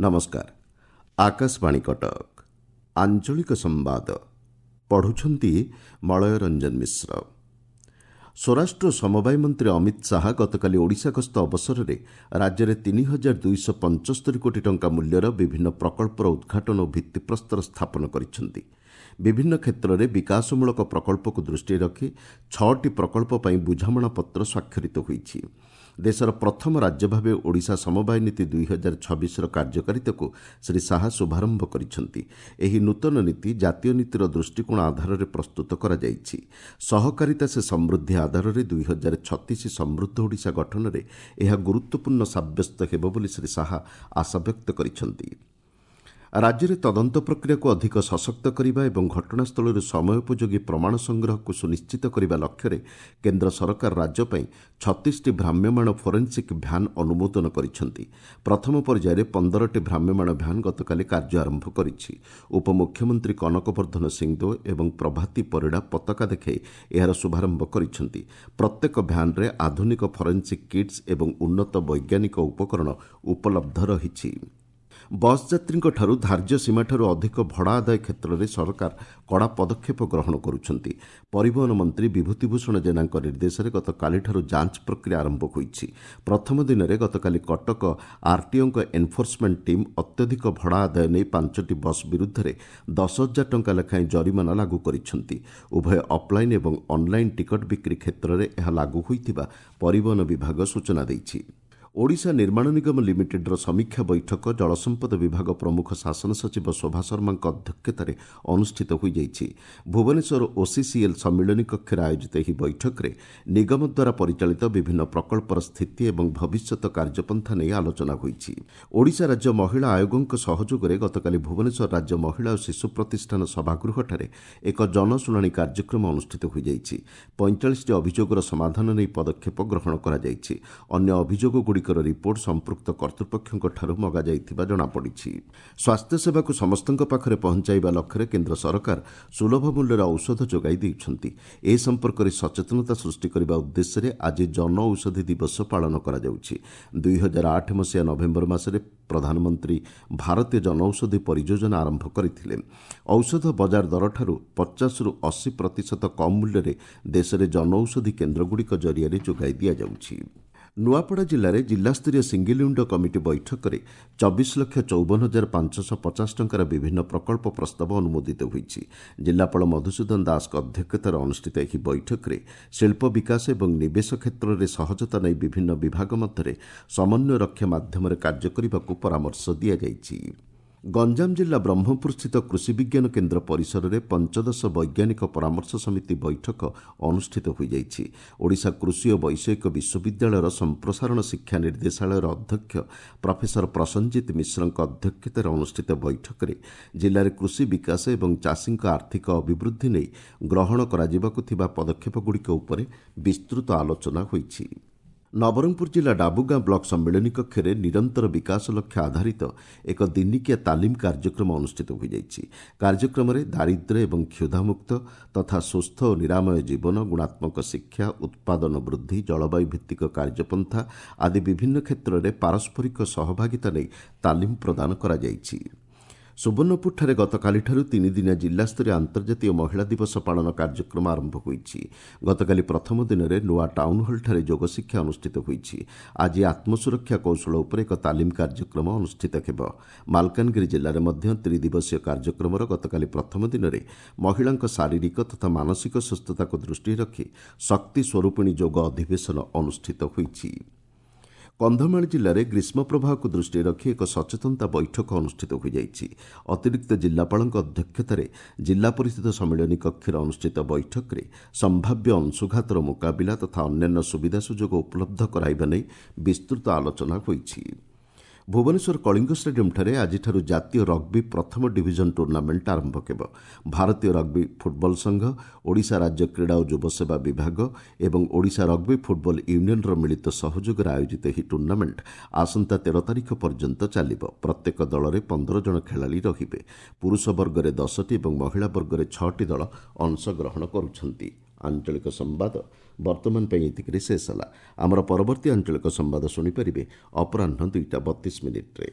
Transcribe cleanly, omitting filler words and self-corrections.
ନମସ୍କାର, ଆକାଶବାଣୀ କଟକ। ଆଞ୍ଚଳିକ ସମ୍ବାଦ ପଢ଼ୁଛନ୍ତି ମଳୟ ରଞ୍ଜନ ମିଶ୍ର। ସ୍ୱରାଷ୍ଟ୍ର ସମବାୟ ମନ୍ତ୍ରୀ ଅମିତ ଶାହା ଗତକାଲି ଓଡ଼ିଶା ଗସ୍ତ ଅବସରରେ ରାଜ୍ୟରେ 3275 କୋଟି ଟଙ୍କା ମୂଲ୍ୟର ବିଭିନ୍ନ ପ୍ରକଳ୍ପର ଉଦ୍ଘାଟନ ଓ ଭିତ୍ତିପ୍ରସ୍ତର ସ୍ଥାପନ କରିଛନ୍ତି। ବିଭିନ୍ନ କ୍ଷେତ୍ରରେ ବିକାଶମୂଳକ ପ୍ରକଳ୍ପକୁ ଦୃଷ୍ଟିରେ ରଖି 6ଟି ପ୍ରକଳ୍ପ ପାଇଁ ବୁଝାମଣାପତ୍ର ସ୍ୱାକ୍ଷରିତ ହୋଇଛି। ଦେଶର ପ୍ରଥମ ରାଜ୍ୟ ଭାବେ ଓଡ଼ିଶା ସମବାୟ ନୀତି 2026ର କାର୍ଯ୍ୟକାରିତାକୁ ଶ୍ରୀ ଶାହା ଶୁଭାରମ୍ଭ କରିଛନ୍ତି। ଏହି ନୂତନ ନୀତି ଜାତୀୟ ନୀତିର ଦୃଷ୍ଟିକୋଣ ଆଧାରରେ ପ୍ରସ୍ତୁତ କରାଯାଇଛି। ସହକାରିତା ସେ ସମୃଦ୍ଧି ଆଧାରରେ 2036 ସମୃଦ୍ଧ ଓଡ଼ିଶା ଗଠନରେ ଏହା ଗୁରୁତ୍ୱପୂର୍ଣ୍ଣ ସାବ୍ୟସ୍ତ ହେବ ବୋଲି ଶ୍ରୀ ଶାହା ଆଶାବ୍ୟକ୍ତ କରିଛନ୍ତି। ରାଜ୍ୟରେ ତଦନ୍ତ ପ୍ରକ୍ରିୟାକୁ ଅଧିକ ସଶକ୍ତ କରିବା ଏବଂ ଘଟଣାସ୍ଥଳରୁ ସମୟୋପଯୋଗୀ ପ୍ରମାଣ ସଂଗ୍ରହକୁ ସୁନିଶ୍ଚିତ କରିବା ଲକ୍ଷ୍ୟରେ କେନ୍ଦ୍ର ସରକାର ରାଜ୍ୟ ପାଇଁ 36ଟି ଭ୍ରାମ୍ୟମାଣ ଫୋରେନ୍ସିକ୍ ଭ୍ୟାନ୍ ଅନୁମୋଦନ କରିଛନ୍ତି। ପ୍ରଥମ ପର୍ଯ୍ୟାୟରେ 15ଟି ଭ୍ରାମ୍ୟମାଣ ଭ୍ୟାନ୍ ଗତକାଲି କାର୍ଯ୍ୟ ଆରମ୍ଭ କରିଛି। ଉପମୁଖ୍ୟମନ୍ତ୍ରୀ କନକ ବର୍ଦ୍ଧନ ସିଂଦେଓ ଏବଂ ପ୍ରଭାତୀ ପରିଡ଼ା ପତାକା ଦେଖାଇ ଏହାର ଶୁଭାରମ୍ଭ କରିଛନ୍ତି। ପ୍ରତ୍ୟେକ ଭ୍ୟାନ୍ରେ ଆଧୁନିକ ଫରେନ୍ସିକ୍ କିଟ୍ସ ଏବଂ ଉନ୍ନତ ବୈଜ୍ଞାନିକ ଉପକରଣ ଉପଲବ୍ଧ ରହିଛି। ବସ୍ ଯାତ୍ରୀଙ୍କଠାରୁ ଧାର୍ଯ୍ୟ ସୀମାଠାରୁ ଅଧିକ ଭଡ଼ା ଆଦାୟ କ୍ଷେତ୍ରରେ ସରକାର କଡ଼ା ପଦକ୍ଷେପ ଗ୍ରହଣ କରୁଛନ୍ତି। ପରିବହନ ମନ୍ତ୍ରୀ ବିଭୂତିଭୂଷଣ ଜେନାଙ୍କ ନିର୍ଦ୍ଦେଶରେ ଗତକାଲିଠାରୁ ଯାଞ୍ଚ ପ୍ରକ୍ରିୟା ଆରମ୍ଭ ହୋଇଛି। ପ୍ରଥମ ଦିନରେ ଗତକାଲି କଟକ ଆର୍ଟିଓଙ୍କ ଏନ୍ଫୋର୍ସମେଣ୍ଟ ଟିମ୍ ଅତ୍ୟଧିକ ଭଡ଼ା ଆଦାୟ ନେଇ 5ଟି ବସ୍ ବିରୁଦ୍ଧରେ 10,000 ଟଙ୍କା ଲେଖାଏଁ ଜରିମାନା ଲାଗୁ କରିଛନ୍ତି। ଉଭୟ ଅଫ୍ଲାଇନ୍ ଏବଂ ଅନ୍ଲାଇନ୍ ଟିକଟ ବିକ୍ରି କ୍ଷେତ୍ରରେ ଏହା ଲାଗୁ ହୋଇଥିବା ପରିବହନ ବିଭାଗ ସୂଚନା ଦେଇଛି। ଓଡ଼ିଶା ନିର୍ମାଣ ନିଗମ ଲିମିଟେଡ୍ର ସମୀକ୍ଷା ବୈଠକ ଜଳସମ୍ପଦ ବିଭାଗ ପ୍ରମୁଖ ଶାସନ ସଚିବ ଶୋଭା ଶର୍ମାଙ୍କ ଅଧ୍ୟକ୍ଷତାରେ ଅନୁଷ୍ଠିତ ହୋଇଯାଇଛି। ଭୁବନେଶ୍ୱର ଓସିସିଏଲ୍ ସମ୍ମିଳନୀ କକ୍ଷରେ ଆୟୋଜିତ ଏହି ବୈଠକରେ ନିଗମ ଦ୍ୱାରା ପରିଚାଳିତ ବିଭିନ୍ନ ପ୍ରକଳ୍ପର ସ୍ଥିତି ଏବଂ ଭବିଷ୍ୟତ କାର୍ଯ୍ୟପନ୍ଥା ନେଇ ଆଲୋଚନା ହୋଇଛି। ଓଡ଼ିଶା ରାଜ୍ୟ ମହିଳା ଆୟୋଗଙ୍କ ସହଯୋଗରେ ଗତକାଲି ଭୁବନେଶ୍ୱର ରାଜ୍ୟ ମହିଳା ଓ ଶିଶୁ ପ୍ରତିଷ୍ଠାନ ସଭାଗୃହଠାରେ ଏକ ଜନଶୁଣାଣି କାର୍ଯ୍ୟକ୍ରମ ଅନୁଷ୍ଠିତ ହୋଇଯାଇଛି। 45ଟି ଅଭିଯୋଗର ସମାଧାନ ନେଇ ପଦକ୍ଷେପ ଗ୍ରହଣ କରାଯାଇଛି। ଅନ୍ୟ ଅଭିଯୋଗଗୁଡ଼ିକ ରିପୋର୍ଟ ସମ୍ପୃକ୍ତ କର୍ତ୍ତୃପକ୍ଷଙ୍କଠାରୁ ମଗାଯାଇଥିବା ଜଣାପଡ଼ିଛି। ସ୍ୱାସ୍ଥ୍ୟସେବାକୁ ସମସ୍ତଙ୍କ ପାଖରେ ପହଞ୍ଚାଇବା ଲକ୍ଷ୍ୟରେ କେନ୍ଦ୍ର ସରକାର ସୁଲଭ ମୂଲ୍ୟରେ ଔଷଧ ଯୋଗାଇ ଦେଉଛନ୍ତି। ଏ ସମ୍ପର୍କରେ ସଚେତନତା ସୃଷ୍ଟି କରିବା ଉଦ୍ଦେଶ୍ୟରେ ଆଜି ଜନ ଔଷଧି ଦିବସ ପାଳନ କରାଯାଉଛି। 2008 ମସିହା ନଭେମ୍ବର ମାସରେ ପ୍ରଧାନମନ୍ତ୍ରୀ ଭାରତୀୟ ଜନଔଷଧି ପରିଯୋଜନା ଆରମ୍ଭ କରିଥିଲେ। ଔଷଧ ବଜାର ଦରଠାରୁ 50ରୁ 80% କମ୍ ମୂଲ୍ୟରେ ଦେଶରେ ଜନଔଷଧି କେନ୍ଦ୍ରଗୁଡ଼ିକ ଜରିଆରେ ଯୋଗାଇ ଦିଆଯାଉଛି। ନୂଆପଡ଼ା ଜିଲ୍ଲାରେ ଜିଲ୍ଲାସ୍ତରୀୟ ସିଙ୍ଗିଲ୍ ୱିଣ୍ଡୋ କମିଟି ବୈଠକରେ 24,54,550 ଟଙ୍କାର ବିଭିନ୍ନ ପ୍ରକଳ୍ପ ପ୍ରସ୍ତାବ ଅନୁମୋଦିତ ହୋଇଛି। ଜିଲ୍ଲାପାଳ ମଧୁସୂଦନ ଦାସଙ୍କ ଅଧ୍ୟକ୍ଷତାରେ ଅନୁଷ୍ଠିତ ଏହି ବୈଠକରେ ଶିଳ୍ପ ବିକାଶ ଏବଂ ନିବେଶ କ୍ଷେତ୍ରରେ ସହଜତା ନେଇ ବିଭିନ୍ନ ବିଭାଗ ମଧ୍ୟରେ ସମନ୍ୱୟ ରକ୍ଷା ମାଧ୍ୟମରେ କାର୍ଯ୍ୟ କରିବାକୁ ପରାମର୍ଶ ଦିଆଯାଇଛି। ଗଞ୍ଜାମ ଜିଲ୍ଲା ବ୍ରହ୍ମପୁରସ୍ଥିତ କୃଷି ବିଜ୍ଞାନ କେନ୍ଦ୍ର ପରିସରରେ ପଞ୍ଚଦଶ ବୈଜ୍ଞାନିକ ପରାମର୍ଶ ସମିତି ବୈଠକ ଅନୁଷ୍ଠିତ ହୋଇଯାଇଛି। ଓଡ଼ିଶା କୃଷି ଓ ବୈଷୟିକ ବିଶ୍ୱବିଦ୍ୟାଳୟର ସମ୍ପ୍ରସାରଣ ଶିକ୍ଷା ନିର୍ଦ୍ଦେଶାଳୟର ଅଧ୍ୟକ୍ଷ ପ୍ରଫେସର ପ୍ରସଞ୍ଜିତ ମିଶ୍ରଙ୍କ ଅଧ୍ୟକ୍ଷତାରେ ଅନୁଷ୍ଠିତ ବୈଠକରେ ଜିଲ୍ଲାରେ କୃଷି ବିକାଶ ଏବଂ ଚାଷୀଙ୍କ ଆର୍ଥିକ ଅଭିବୃଦ୍ଧି ନେଇ ଗ୍ରହଣ କରାଯିବାକୁ ଥିବା ପଦକ୍ଷେପଗୁଡ଼ିକ ଉପରେ ବିସ୍ତୃତ ଆଲୋଚନା ହୋଇଛି। ନବରଙ୍ଗପୁର ଜିଲ୍ଲା ଡାବୁଗାଁ ବ୍ଲକ ସମ୍ମିଳନୀ କକ୍ଷରେ ନିରନ୍ତର ବିକାଶ ଲକ୍ଷ୍ୟ ଆଧାରିତ ଏକ ଦିନିକିଆ ତାଲିମ କାର୍ଯ୍ୟକ୍ରମ ଅନୁଷ୍ଠିତ ହୋଇଯାଇଛି। କାର୍ଯ୍ୟକ୍ରମରେ ଦାରିଦ୍ର୍ୟ ଏବଂ କ୍ଷୁଧାମୁକ୍ତ ତଥା ସୁସ୍ଥ ଓ ନିରାମୟ ଜୀବନ, ଗୁଣାତ୍ମକ ଶିକ୍ଷା, ଉତ୍ପାଦନ ବୃଦ୍ଧି, ଜଳବାୟୁ ଭିତ୍ତିକ କାର୍ଯ୍ୟପନ୍ଥା ଆଦି ବିଭିନ୍ନ କ୍ଷେତ୍ରରେ ପାରସ୍ପରିକ ସହଭାଗିତା ନେଇ ତାଲିମ ପ୍ରଦାନ କରାଯାଇଛି। ସୁବର୍ଣ୍ଣପୁରଠାରେ ଗତକାଲିଠାରୁ ତିନିଦିନିଆ ଜିଲ୍ଲାସ୍ତରୀୟ ଆନ୍ତର୍ଜାତୀୟ ମହିଳା ଦିବସ ପାଳନ କାର୍ଯ୍ୟକ୍ରମ ଆରମ୍ଭ ହୋଇଛି। ଗତକାଲି ପ୍ରଥମ ଦିନରେ ନୂଆ ଟାଉନହଲ୍ଠାରେ ଯୋଗଶିକ୍ଷା ଅନୁଷ୍ଠିତ ହୋଇଛି। ଆଜି ଆତ୍ମସୁରକ୍ଷା କୌଶଳ ଉପରେ ଏକ ତାଲିମ କାର୍ଯ୍ୟକ୍ରମ ଅନୁଷ୍ଠିତ ହେବ। ମାଲକାନଗିରି ଜିଲ୍ଲାରେ ମଧ୍ୟ ତ୍ରିଦିବସୀୟ କାର୍ଯ୍ୟକ୍ରମର ଗତକାଲି ପ୍ରଥମ ଦିନରେ ମହିଳାଙ୍କ ଶାରୀରିକ ତଥା ମାନସିକ ସୁସ୍ଥତାକୁ ଦୃଷ୍ଟିରେ ରଖି ଶକ୍ତି ସ୍ୱରୂପିଣୀ ଯୋଗ ଅଧିବେଶନ ଅନୁଷ୍ଠିତ ହୋଇଛି। କନ୍ଧମାଳ ଜିଲ୍ଲାରେ ଗ୍ରୀଷ୍ମ ପ୍ରବାହକୁ ଦୃଷ୍ଟିରେ ରଖି ଏକ ସଚେତନତା ବୈଠକ ଅନୁଷ୍ଠିତ ହୋଇଯାଇଛି। ଅତିରିକ୍ତ ଜିଲ୍ଲାପାଳଙ୍କ ଅଧ୍ୟକ୍ଷତାରେ ଜିଲ୍ଲା ପରିଷଦ ସମ୍ମିଳନୀ କକ୍ଷରେ ଅନୁଷ୍ଠିତ ବୈଠକରେ ସମ୍ଭାବ୍ୟ ଅଂଶୁଘାତର ମୁକାବିଲା ତଥା ଅନ୍ୟାନ୍ୟ ସୁବିଧା ସୁଯୋଗ ଉପଲବ୍ଧ କରାଇବା ନେଇ ବିସ୍ତୃତ ଆଲୋଚନା ହୋଇଛି। ଭୁବନେଶ୍ୱର କଳିଙ୍ଗ ଷ୍ଟାଡିୟମ୍ଠାରେ ଆଜିଠାରୁ ଜାତୀୟ ରଗ୍ବି ପ୍ରଥମ ଡିଭିଜନ ଟୁର୍ଣ୍ଣାମେଣ୍ଟ ଆରମ୍ଭ ହେବ। ଭାରତୀୟ ରଗ୍ବି ଫୁଟବଲ ସଂଘ, ଓଡ଼ିଶା ରାଜ୍ୟ କ୍ରୀଡ଼ା ଓ ଯୁବସେବା ବିଭାଗ ଏବଂ ଓଡ଼ିଶା ରଗ୍ବି ଫୁଟବଲ ୟୁନିୟନର ମିଳିତ ସହଯୋଗରେ ଆୟୋଜିତ ଏହି ଟୁର୍ଣ୍ଣାମେଣ୍ଟ ଆସନ୍ତା 13 ତାରିଖ ପର୍ଯ୍ୟନ୍ତ ଚାଲିବ। ପ୍ରତ୍ୟେକ ଦଳରେ 15 ଜଣ ଖେଳାଳି ରହିବେ। ପୁରୁଷ ବର୍ଗରେ 10ଟି ଏବଂ ମହିଳା ବର୍ଗରେ 6ଟି ଦଳ ଅଂଶଗ୍ରହଣ କରୁଛନ୍ତି। ଆଞ୍ଚଳିକ ସମ୍ବାଦ ବର୍ତ୍ତମାନ ପାଇଁ ଏତିକିରେ ଶେଷ ହେଲା। ଆମର ପରବର୍ତ୍ତୀ ଆଞ୍ଚଳିକ ସମ୍ବାଦ ଶୁଣିପାରିବେ ଅପରାହ୍ନ 2ଟା 32 ମିନିଟ୍ରେ।